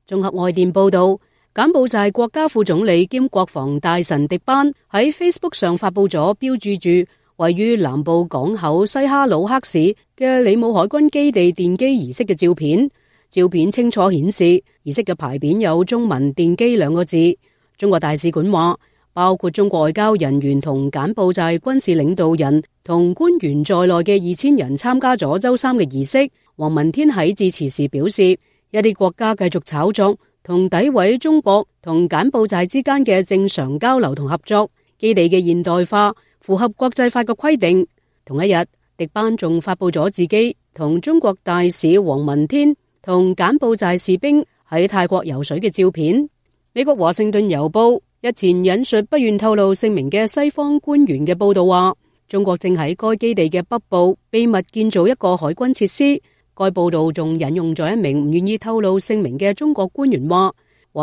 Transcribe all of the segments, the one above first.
綜合外電報道，柬埔寨國家副總理兼國防大臣迪班喺 Facebook 上發佈咗標註住位於南部港口西哈努克市嘅里姆海軍基地奠基儀式嘅照片。照片清楚顯示，儀式嘅牌匾有中文奠基兩個字。中國大使館話，包括中國外交人員同柬埔寨軍事領導人同官員在內嘅2000人參加咗周三嘅儀式。黃文天喺致辭時表示，一啲國家繼續炒作同詆毀中國同柬埔寨之間嘅正常交流同合作，基地嘅現代化符合國際法嘅規定。同一日，迪班仲發佈咗自己同中國大使黃文天同柬埔寨士兵喺泰國游水嘅照片。美國華盛頓郵報日前引述不願透露姓名嘅西方官員嘅報道話，中國正喺該基地嘅北部秘密建造一個海軍設施。該報道仲引用咗一名唔願意透露姓名嘅中國官員話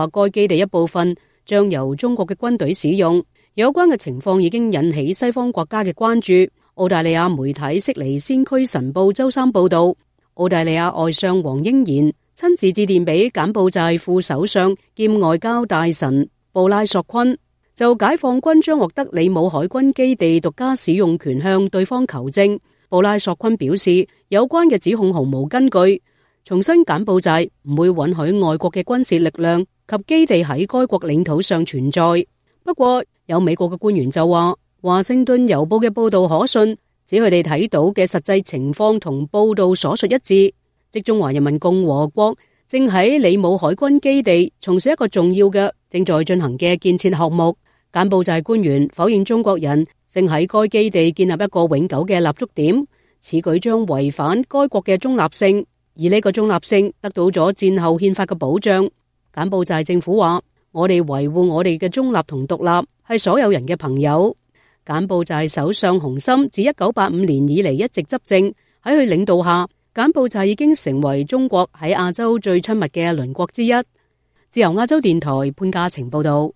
該基地一部分將由中國嘅軍隊使用。有關嘅情況已經引起西方國家嘅關注。澳大利亞媒體悉尼先驅晨報周三報道，澳大利亞外相黃英賢親自致電俾柬埔寨副首相兼外交大臣布拉索昆，就解放軍將獲得里姆海軍基地獨家使用權向對方求證。布拉索昆表示，有關嘅指控毫無根據，重申柬埔寨唔會允許外國嘅軍事力量及基地喺該國領土上存在。不過，有美國嘅官員就話，華盛頓郵報嘅報道可信，指佢哋睇到嘅實際情況同報道所述一致，即中華人民共和國正喺里姆海軍基地從事一個重要嘅正在進行嘅建設項目。柬埔寨官員否認中國人正喺該基地建立一個永久嘅立足點，此舉將違反該國嘅中立性，而呢個中立性得到咗戰後憲法嘅保障。柬埔寨政府話，我哋維護我哋嘅中立同獨立係所有人嘅朋友。柬埔寨首相洪森自1985年以嚟一直執政，喺佢領導下，柬埔寨已經成為中國喺亞洲最親密嘅鄰國之一。自由亞洲電台潘嘉晴報道。